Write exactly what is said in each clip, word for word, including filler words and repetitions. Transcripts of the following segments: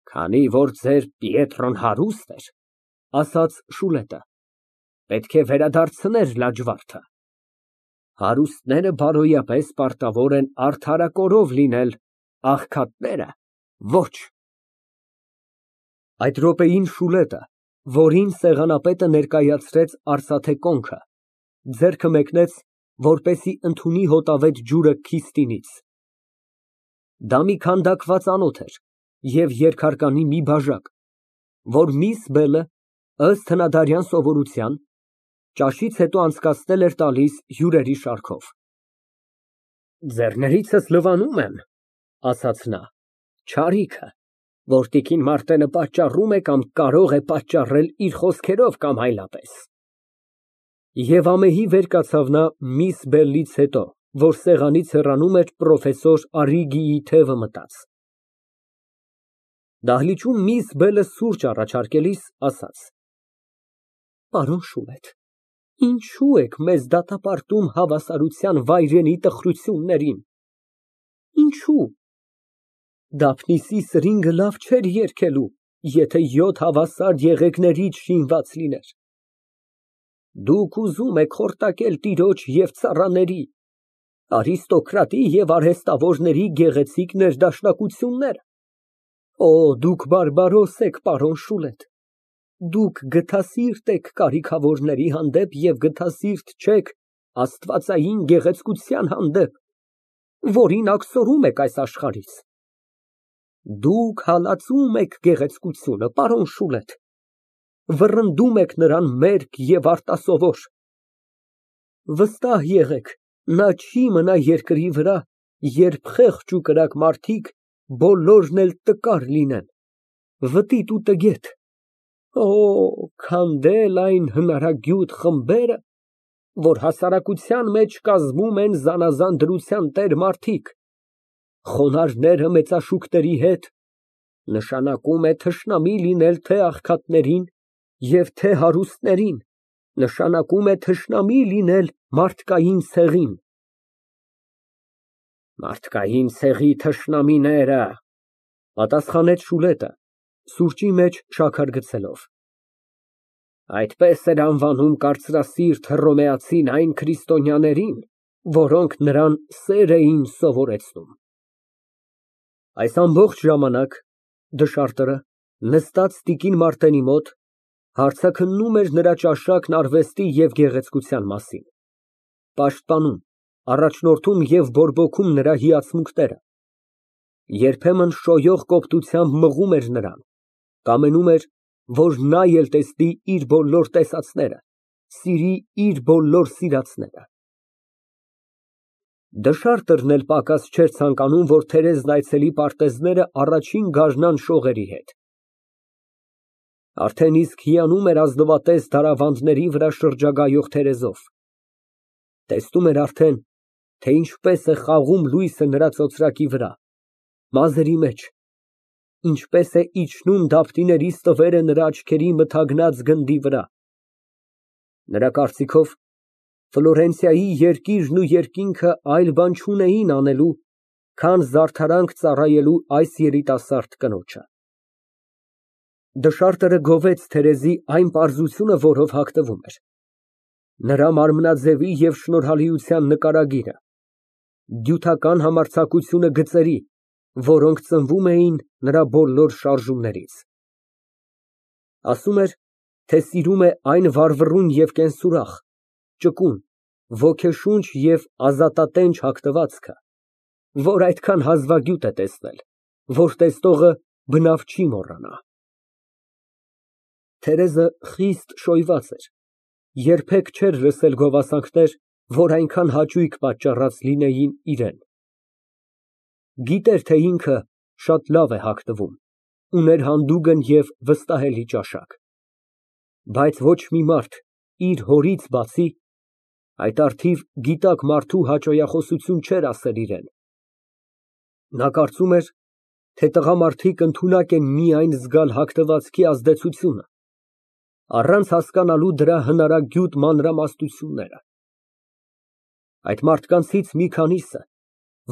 Քանի որ ձեր Պիետրոն հարուստ էր, ասաց Շուլետը, պետք է վերադարձներ լաջվարդը։ Հարուստները բարոյապես պարտավոր են արդարակորով լինել, աղքատները ոչ։ Այդ րոպեին Շուլետը, որին սեղանապետը ներկայացրեց արծաթե կոնքը, ձեռքը մեկնեց, որպեսզի ընդունի հոտավետ ջուրը քիստինից։ Դա մի քանդակված անոթ էր և երկհարկանի մի բաժակ, որ միս Բելը, ըստ հնադարյան սովորության, ճաշից հետո անցկացնել էր տալիս հյուրերի շարքով։ Ձեռներիցս լվանում եմ, ասաց նա, չարիքը, որ տիկին Մարտենը պատճառում է կամ կարող է պատճառել իր խոսքերով կամ այլապես։ Եվ ամեհի վեր կացավ նա միս Բելլից հետո, որ սեղանից հեռանում էր պրոֆեսոր Արրիգիի թևը մտած։ Դահլիճում միս Բելը սուրճ առաջարկելիս ասաց. Պարոն Շուլետ, ինչո՞ւ եք մեզ դատապարտում հավասարության վայրենի տխրություններին, ինչո՞ւ։ Դափնիսի սրինգը լավ չէր երգելու, եթե յոթ հավասար եղեգներից շինված լիներ։ Դուք ուզում եք խորտակել տիրոջ և ծառաների, արիստոկրատի և արհեստավորների գեղեցիկ ներդաշնակությունները։ Օ, դուք բարբարոս եք, պարոն Շուլետ, դուք գթասիրտ եք կարիքավորների հանդեպ և գթասիրտ չեք աստվածային գեղեցկության հանդեպ, որին աքսորում եք այս աշխարհից։ Դուք հալածում եք գեղեցկությունը, պարոն Շուլետ, վռնդում եք նրան մերկ և արտասովոր։ Վստահ եղեք, նա չի մնա երկրի վրա, երբ խեղճ ու կրակ մարդիկ բոլորն էլ տկար լինեն, վտիտ ու տգետ։ Օ, քանդել այն հնարագյուտ խմբերը, որ հասարակության մեջ կազմում են զանազան դրության տեր մարդիկ, խոնարհները մեծաշուկների հետ, նշանակում է թշնամի լինել թե աղքատներին և թե հարուստներին, նշանակում է թշնամի լինել մարդկային ցեղին։ Մարդկային ցեղի թշնամիները, պատասխանեց Շուլետը, սուրճի մեջ շաքար գցելով։ Այդպես էր անվանում կարծրասիրտ հռոմեացին այն քրիստոնյաներին, որոնք նրան սեր էին սովորեցնում։ Այս ամբողջ ժամանակ դշարտը, նստած տիկին Մարտենի մոտ, հարցաքննում էր նրա ճաշակն արվեստի և գեղեցկության մասին, պաշտպանում, առաջնորդում և բորբոքում նրա հիացմունքները, երբեմն շոյող կոպտությամբ մղում էր նրան, կամենում էր, որ նա էլ տեսնի իր բոլոր տեսածները, սիրի իր բոլոր սիրածները։ Դշարտն էլ պակաս չէր ցանկանում, որ Թերեզն այցելի պարտեզները առաջին գարնան շողերի հետ։ Արդեն իսկ հիանում էր ազնվատես դարավանդների վրա շրջագայող տերեզով, տեսնում էր արդեն, թե ինչպես է խաղում լույսը նրա ծոծրակի վրա, մազերի մեջ, ինչպես է իջնում դափնիների ստվերը նրա աչքերի մթագնած գնդի վրա։ Նրա կարծիքով, Ֆլորենցիայի երկիրն ու երկինքը այլ բան չունեին անելու, քան զարդարանք ծառայելու այս երիտասարդ կնոջը։ Դշարտը գովեց Թերեզի այն պարզությունը, որով հագնվում էր, նրա մարմնաձևի և շնորհալիության նկարագիրը, դյութական համարձակությունը գծերի, որոնք ծնվում էին նրա բոլոր շարժումներից։ Ասում էր, թե սիրում է այն վառվռուն և կենսուրախ, ճկուն, ոգեշունչ և ազատատենչ հագնվածքը, որ այդքան հազվագյուտ է տեսնել, որ տեսնողը բնավ չի մոռանա։ Թերեզը խիստ շոյված էր, երբեք չէր լսել գովասանքներ, որ այնքան հաճույք պատճառած լինեին իրան։ Գիտեր, թե ինքը շատ լավ է հագնվում, ուներ հանդուգն և վստահելի ճաշակ, բայց ոչ մի մարդ իր հորից բացի այդ առթիվ գիտակ մարդու հաճոյախոսություն չէր ասել իրան։ Նա կարծում էր, թե տղամարդիկ ընդունակ են միայն զգալ հագնվածքի ազդեցությունը, առանց հասկանալու դրա հնարագյուտ մանրամասնությունները։ Այդ մարդկանցից մի քանիսը,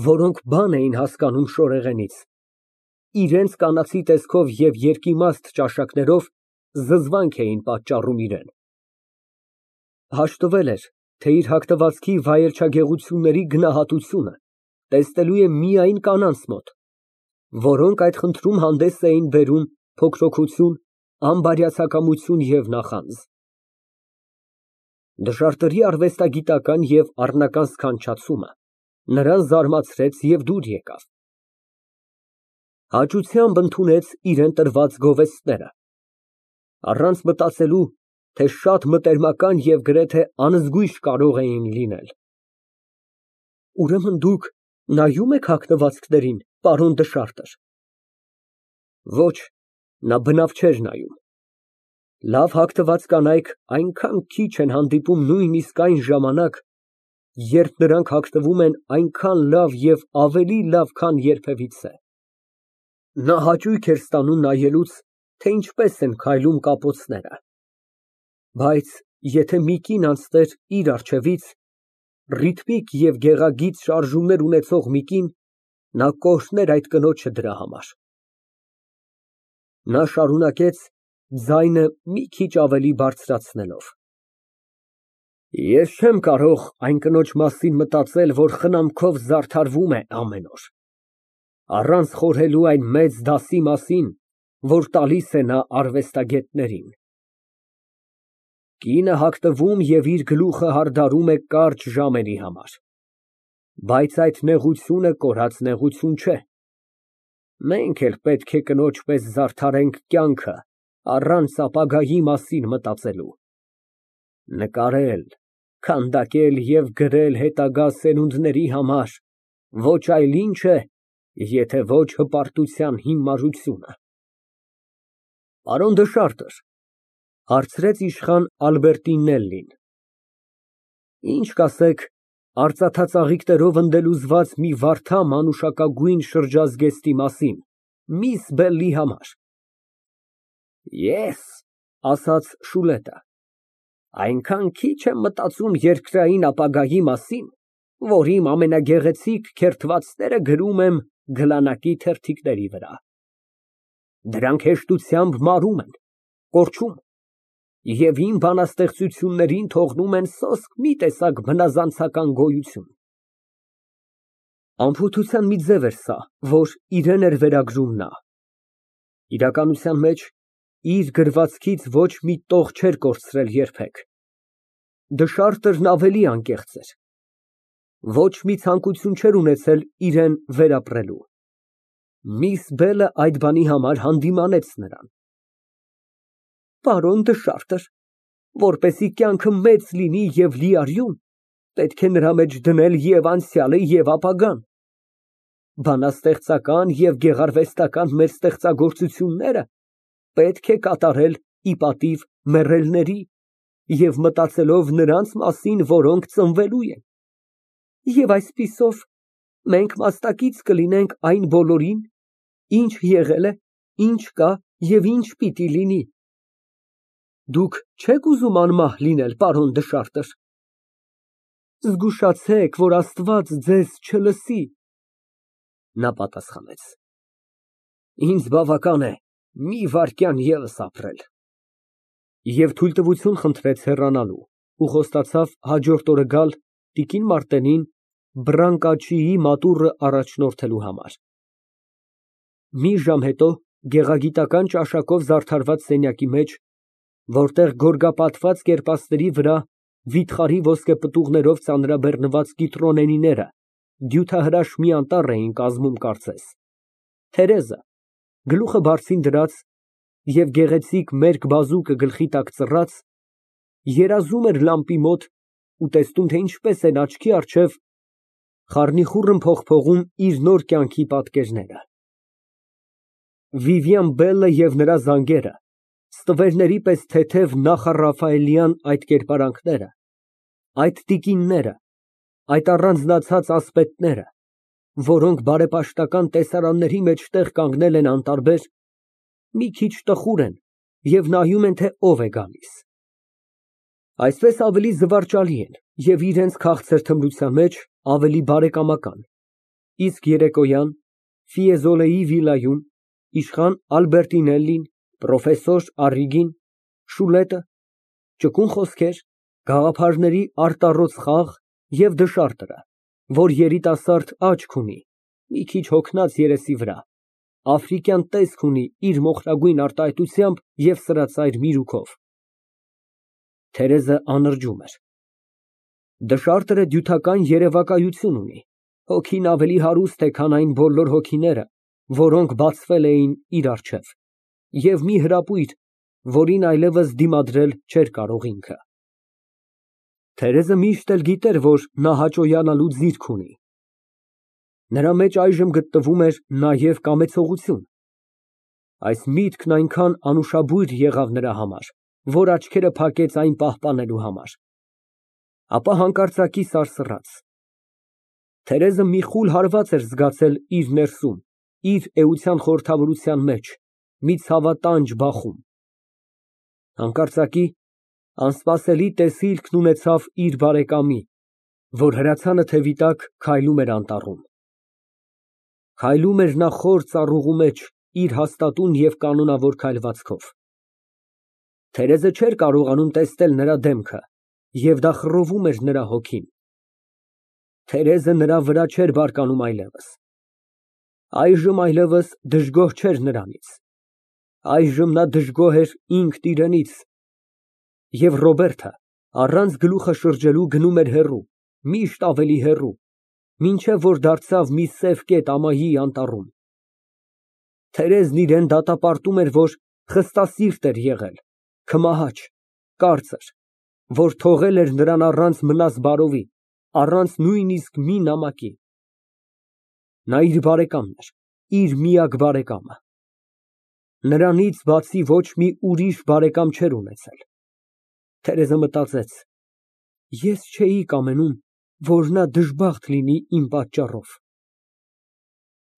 որոնք բան էին հասկանում շորեղենից, իրենց կանացի տեսքով և երկիմաստ ճաշակներով զզվանք էին պատճառում իրան։ Հաշտվել էր, թե իր հագնվածքի վայելչագեղությունների գնահատությունը տեսնելու է միայն կանանց մոտ, որոնք այդ խնդրում հանդես էին բերում փոքրօգություն, անբարյացակամություն և նախանձ։ Դժարտերի արվեստագիտական և առնական սքանչացումը նրան զարմացրեց և դուր եկավ։ Հաճությամբ ընդունեց իրան տրված գովեստները, առանց մտածելու, թե շատ մտերմական և գրեթե անզգույշ կարող էին լինել։ Ուրեմն դուք նայո՞ւմ եք հագնվածքներին, պարոն Դշարտր։ Ոչ, նա բնավ չէր նայում։ Լավ հագնված կանայք այնքան քիչ են հանդիպում նույնիսկ այն ժամանակ, երբ նրանք հագնվում են այնքան լավ և ավելի լավ, քան երբևիցե։ Նա հաճույք էր ստանում նայելուց, թե ինչպես են քայլում կապոցները։ Բայց եթե մի կին անցներ իր առջևից, ռիթմիկ և գեղագիծ շարժումներ ունեցող մի կին, նա կօրհներ այդ կնոջը դրա համար։ Նա շարունակեց, ձայնը մի քիչ ավելի բարձրացնելով. Ես չեմ կարող այն կնոջ մասին մտածել, որ խնամքով զարդարվում է ամեն օր, առանց խորհելու այն մեծ դասի մասին, որ տալիս է նա արվեստագետներին։ Կինը հագնվում և իր գլուխը հարդարում է կարճ ժամերի համար, բայց այդ նեղությունը կորած նեղություն չէ։ Մենք էլ պետք է կնոջ պես զարդարենք կյանքը, առանց ապագայի մասին մտածելու։ Նկարել, քանդակել և գրել հետագա սերունդների համար ոչ այլ ինչ է, եթե ոչ հպարտության հիմարությունը։ Պարոն Դշարտր, հարցրեց իշխան Ալբերտինելլին, ի՞նչ կասեք արծաթ ծաղիկներով ընդելուզված մի վարդա մանուշակագույն շրջազգեստի մասին, միս Բելլի համար։ Ես, ասաց Շուլետը, այնքան քիչ եմ մտածում երկրային ապագայի մասին, որ իմ ամենագեղեցիկ քերթվածները գրում եմ գլանակի թերթիկների վրա։ Դրանք հեշտությամբ մարում են, կորչում և իմ բանաստեղծություններին թողնում են սոսկ մի տեսակ բնազանցական գոյություն։ Անփութության մի ձև էր սա, որ իրան էր վերագրում նա։ Իրականության մեջ իր գրվածքից ոչ մի տող չէր կորցրել երբեք։ Դշարտերն ավելի անկեղծ էր, ոչ մի ցանկություն չէր ունեցել իրան վերապրելու։ Միս Բելը այդ բանի համար հանդիմանեց նրան։ Պարոն Դշարտր, որպեսզի կյանքը մեծ լինի և լիարյուն, պետք է նրա մեջ դնել և անցյալը, և ապագան։ Բանաստեղծական և գեղարվեստական մեր ստեղծագործությունները պետք է կատարել ի պատիվ մեռելների և մտածելով նրանց մասին, որոնք ծնվելու են, և այսպիսով մենք մասնակից կլինենք այն բոլորին, ինչ եղել է, ինչ կա և ինչ պիտի լինի։ Դուք չե՞ք ուզում անմահ լինել, պարոն Դշարտր։ Զգուշացեք, որ Աստված ձեզ չլսի։ Նա պատասխանեց. Ինձ բավական է մի վայրկյան ևս ապրել։ Եվ թույլտվություն խնդրեց հեռանալու ու խոստացավ հաջորդ օրը գալ տիկին Մարտենին Բրանկաչիի մատուռը առաջնորդելու համար։ Մի ժամ հետո գեղագիտական ճաշակով զարդարված սենյակի մեջ, որտեղ գորգապատված կերպասների վրա վիթխարի ոսկեպտուղներով ծանրաբեռնված կիտրոնենիները դյութահրաշ մի անտառ էին կազմում կարծես, Թերեզը, գլուխը բարձին դրած և գեղեցիկ մերկ բազուկը գլխի տակ ծռած, երազում էր լամպի մոտ ու տեսնում, թե ինչպես են աչքի առջև խառնիխուռն փողփողում իր նոր կյանքի պատկերները։ Վիվիան Բելը և նրա զանգերը, ստվերների պես թեթև նախառաֆայելյան այդ կերպարանքները, այդ տիկինները, այդ առանձնացած ասպետները, որոնք բարեպաշտական տեսարանների մեջ տեղ կանգնել են անտարբեր, մի քիչ տխուր են և նայում են, թե ով է գալիս։ Այսպես ավելի զվարճալի են և իրենց քաղցր թմրության մեջ ավելի բարեկամական, իսկ երեկոյան Ֆիեզոլեի վիլայում, իշխան Ալբերտինելլին, պրոֆեսոր Առիգին, Շուլետը, ճկուն խոսքեր, գաղափարների արտառոց խաղ և դշարտը, որ երիտասարդ աչք ունի, մի քիչ հոգնած երեսի վրա, աֆրիկյան տեսք ունի իր մոխրագույն արտահայտությամբ և սրածայր միրուքով։ Թերեզը անրջում էր։ Դշարտը դյութական երևակայություն ունի, հոգին ավելի հարուստ է, քան այն բոլոր հոգիները, որոնք բացվել էին իր առջև, և մի հրապույր, որին այլևս դիմադրել չէր կարող ինքը։ Թերեզը միշտ էլ գիտեր, որ նա հաճոյանալու ձիրք ունի։ Նրա մեջ այժմ գտնվում էր նաև կամեցողություն։ Այս միտքն այնքան անուշաբույր եղավ նրա համար, որ աչքերը փակեց այն պահպանելու համար։ Ապա հանկարծակի սարսռաց։ Թերեզը մի խուլ հարված էր զգացել իր ներսում, իր էության խորհրդավորության մեջ, մի ցավատանջ բախում։ Հանկարծակի անսպասելի տեսիլքն ունեցավ իր բարեկամի, որ հրացանը թևի տակ քայլում էր անտառում։ Քայլում էր նա խոր ծառուղու մեջ իր հաստատուն և կանոնավոր քայլվածքով։ Թերեզը չէր կարողանում տեսնել նրա դեմքը, և դա խռովում էր նրա հոգին։ Թերեզը նրա վրա չէր բարկանում այլևս։ Այժմ այլևս դժգոհ չէր նրանից։ Այժմ նա դժգոհ էր ինքն իրենից, և Ռոբերտը առանց գլուխը շրջելու գնում էր հեռու, միշտ ավելի հեռու, մինչև որ դարձավ մի սև կետ ամայի անտառում։ Թերեզն իրան դատապարտում էր, որ խստասիրտ էր եղել, քմահաճ, կարծր, որ թողել էր նրան առանց մնաս բարովի, առանց նույնիսկ մի նամակի։ Նա իր բարեկամն էր, իր միակ բարեկամը։ Նրանից բացի ոչ մի ուրիշ բարեկամ չէր ունեցել։ Թերեզը մտածեց. ես չէի կամենում, որ նա դժբախտ լինի իմ պատճառով։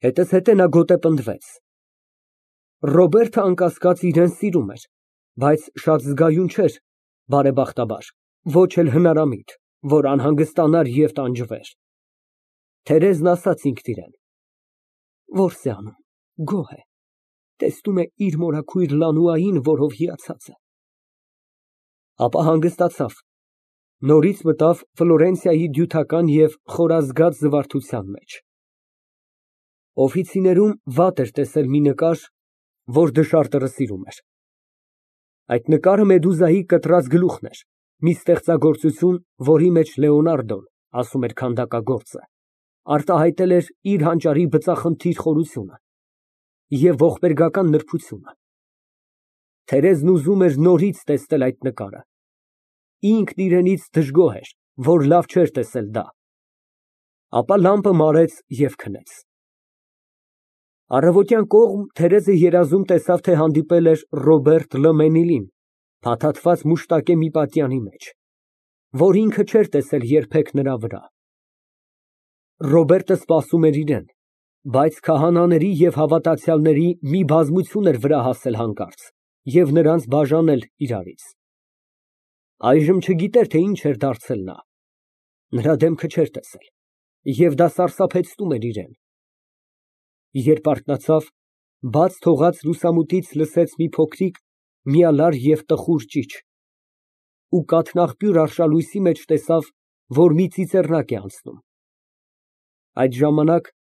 Հետզհետե նա գոտեպնդվեց։ Ռոբերտը, անկասկած, իրան սիրում էր, բայց շատ զգայուն չէր, բարեբախտաբար, ոչ էլ հնարամիտ, որ անհանգստանար և տանջվեր։ Թերեզն ասաց ինքն իրան. որս է անում, գոհ է, տեսնում է իր մորաքույր Լանուային, որով հիացած է։ Ապա հանգստացավ, նորից մտավ Ֆլորենցիայի դյութական և խորազգաց զվարթության մեջ։ Օֆիցիներում վատ էր տեսել մի նկար, որ դշարտը սիրում էր։ Այդ նկարը Մեդուզայի կտրած գլուխն էր, մի ստեղծագործություն, որի մեջ Լեոնարդոն, ասում էր քանդակագործը, արտահայտել էր իր հանճարի բծախնդիր խորությունը և ողբերգական նրբությունը։ Թերեզն ուզում էր նորից տեսնել այդ նկարը։ Ինքն իրենից դժգոհ էր, որ լավ չէր տեսել դա։ Ապա լամպը մարեց և քնեց։ Առավոտյան կողմ Թերեզը երազում տեսավ, թե հանդիպել էր Ռոբերտ Լը փաթաթված մուշտակե մի պատյանի մեջ, որ ինքը չէր տեսել երբեք նրա վրա։ Ռոբերտը սպասում էր իրան, բայց քահանաների և հավատացյալների մի բազմություն էր վրա հասել հանկարծ և նրանց բաժանել իրարից։ Այժմ չգիտեր, թե ինչ էր դարձել նա։ Նրա դեմքը չէր տեսել, և դա սարսափեցնում էր իրան։ Երբ արթնացավ, բաց թողած լուսամուտից լսեց մի փոքրիկ, միալար և տխուր ճիչ ու կաթնաղբյուր արշալույսի մեջ տեսավ, որ մի ծիծեռնակ է անցնում։ Այդ ժամանակ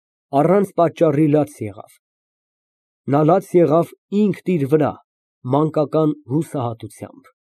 առանց պատճառի լաց եղավ։ Նա լաց եղավ ինքն իր վրա, մանկական հուսահատությամբ։